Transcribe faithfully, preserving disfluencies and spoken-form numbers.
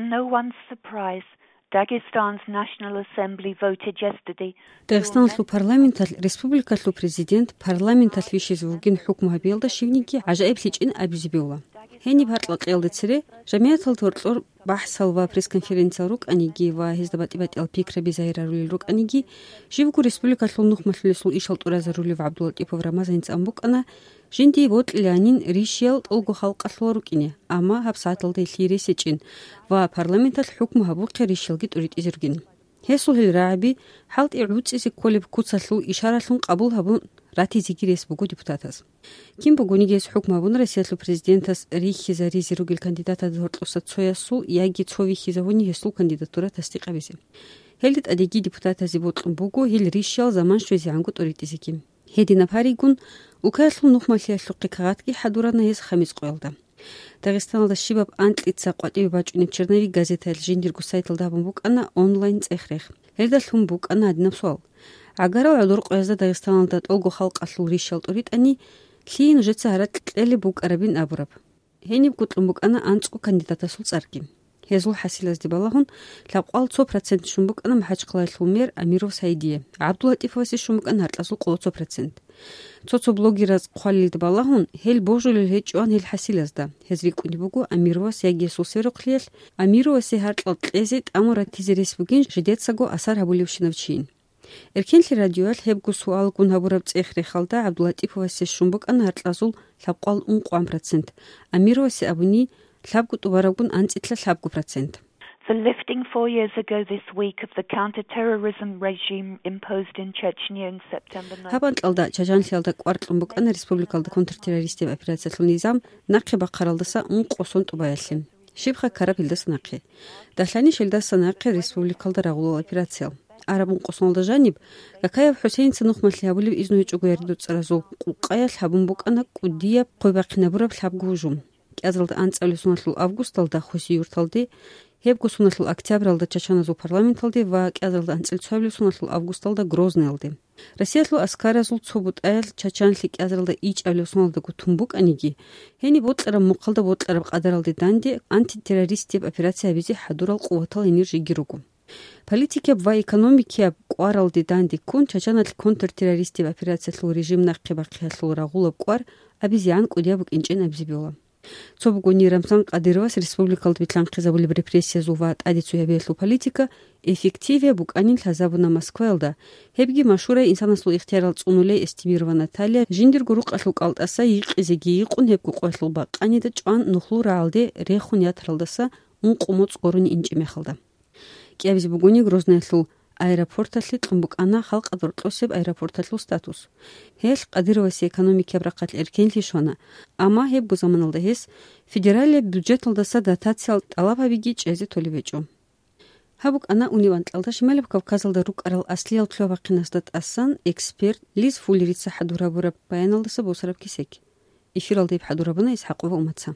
No one's surprise, Dagestan's National Assembly voted yesterday. Дагъистаналъул парламенталъ республикалъул президент парламенталъ вищизе вугин хӀукму гьабиялда щивниги гӀажаиблъичӀин абизе бегьула. Гьениб гьаркьа кьеялда цере, жамигӀаталда гьоркьор бахӀсал ва пресс-конференциял рукӀаниги ва гьезда батӀи-батӀиял пикраби загьирарулел рукӀаниги, живго республикалъул нухмалъулесул ишал тӀуразарулев ГӀабдуллатӀипов Рамазаница ан букӀана, жиндие бокьиланин рищиял тӀолго халкъалъула рукӀине, амма гьабсагӀаталда гьелъие рес гьечӀин ва парламенталъ хӀукму гьабухъе рищиялги тӀуритӀизе ругин. Гьесул гьел рагӀаби хӀалтӀи гӀуцӀизе кколеб куцалъул ишаралъун къабул гьабун ратизеги рес буго депутатаз. Кин бугониги гьес хӀукму гьабун Россиялъул президентас рихьизаризе ругел кандидатазда гьоркьоса цоясул яги цо вихьизавуни гьесул кандидатура тасдикъабизе. Гьелда тӀадеги депутатазе бокьун буго гьел рищиял заман щвезегӀанго тӀуритӀизеги. Гьединаб гьаригун, Улкаялъул нухмалъиялъухъе кагъатги хӀадурана гьес хамис къоялда. Дагъистаналда щибаб анкьица къватӀибе бачӀунеб черновик газетаялъ жиндирго сайталда гьабун букӀана онлайн цӀех-рех. Гьелдалъун букӀана гьадинаб суал: «ГӀагарал гӀодор къоязда Дагъистаналда тӀолго халкъалъул рищал тӀуритӀани, лъие нужеца гьаракь кьелеб букӀарабин?» абураб. Гьениб гутлъун букӀана анцӀго кандидатасул цӀарги. Гьезул хӀасилазде балагьун, лъабкъоялда цо процент щун букӀана МахӀачхъалаялъул мэр Амиров Саидие, ГӀабдуллатӀиповасе щун букӀана гьаркьазул къоло цо процент. Цо-цо блогераз хъвалилда балагьун, гьел божулел гьечӀоан гьел хӀасилазда. Гьез рикӀкӀунеб буго Амировас яги гьесул сверухълъиялъ, Амировасе гьаркьал кьезе тӀамун ратизе рес бугин жидецаго асар гьабулевщинав чийин. Эркенлъи радиоялъ гьебго суалгун гьабураб цӀех-рехалда ГӀабдуллатӀиповасе щун букӀана гьаркьазул лъабкъоялда ункъоян процент, Амировасе абуни, лъабго тӀубарабгун анцӀила лъабго процент. For lifting four years ago this week of the counter-terrorism regime imposed in Chechnya in September Гьаб анкьалда Чачанлъиялда кӀвар кьун букӀана республикалда контртеррористияб операциялъул низам нахъе бахъаралдаса ункъо сон тӀубаялъе. Щибха ккараб гьелдаса нахъе? Дагьлъани щелдаса нахъе республикалда рагъулал операциял. Араб ункъо соналда жаниб, Какаев ХӀусейница нухмалъи гьабулеб изну гьечӀого яридуцӀаразул къукъаялъ гьабун букӀана кӀудияб хъвебахъинабураб лъабго гьужум. КӀиазаралда анцӀабилеб соналъул августалда Хусиюрталде, гьебго соналъул октябралда чачаназул парламенталде ва кӀиазаралда анцӀила цоабилеб соналъул августалда Грозныйалде. Россиялъул аскаразул цо бутӀаялъ Чачанлъи кӀиазаралда ичӀабилеб соналдаго тун букӀаниги, гьениб бокьараб мухъалда бокьараб къадаралде данде антитеррористияб операция гьабизе хӀадурал къуватал гьенир жеги руго. Политикияб ва экономикияб кӀваралде данде ккун, Чачаналъ контртеррористияб операциялъул режим нахъе бахъиялъул рагъулаб кӀвар абизегӀан кӀудияб букӀинчӀин абизе бегьула. Цо бугони Рамзан Кадыровас республикалда билълъанхъизабулеб репрессиязул ва тӀаде цоябиялъул политика эффективияб букӀанин лъазабуна Москваялда, гьебги машгьурай инсанасул ихтиярал цӀунулей Эстемирова Наталья жиндирго рукъалъул кӀалтӀаса йикъизеги йикъун гьебго къоялъул бакъанида чӀван нухлул рагӀалде рехун ятаралдаса ункъо моцӀ гурони инчӀеб мехалда. КӀиабизе бугони Грознаялъул аэропорталъе кьун букӀана халкъалда рокьосеб аэропорталъул статус. Гьелъ Кадыровасе экономикияб рахъалъ эркенлъи щвана, амма гьебго заманалда гьес федералияб бюджеталдаса дотациялъ тӀалаб гьабиги чӀезе толеб гьечӀо. Гьаб букӀана унеб анкьалда Шималаб Кавказалда рукӀарал аслиял лъугьа-бахъинасда тӀасан эксперт Лиз Фуллерица хӀадур гьабураб баяналдаса босараб кесек. Эфиралда гьеб хӀадур гьабуна Исхьакъова Умаца.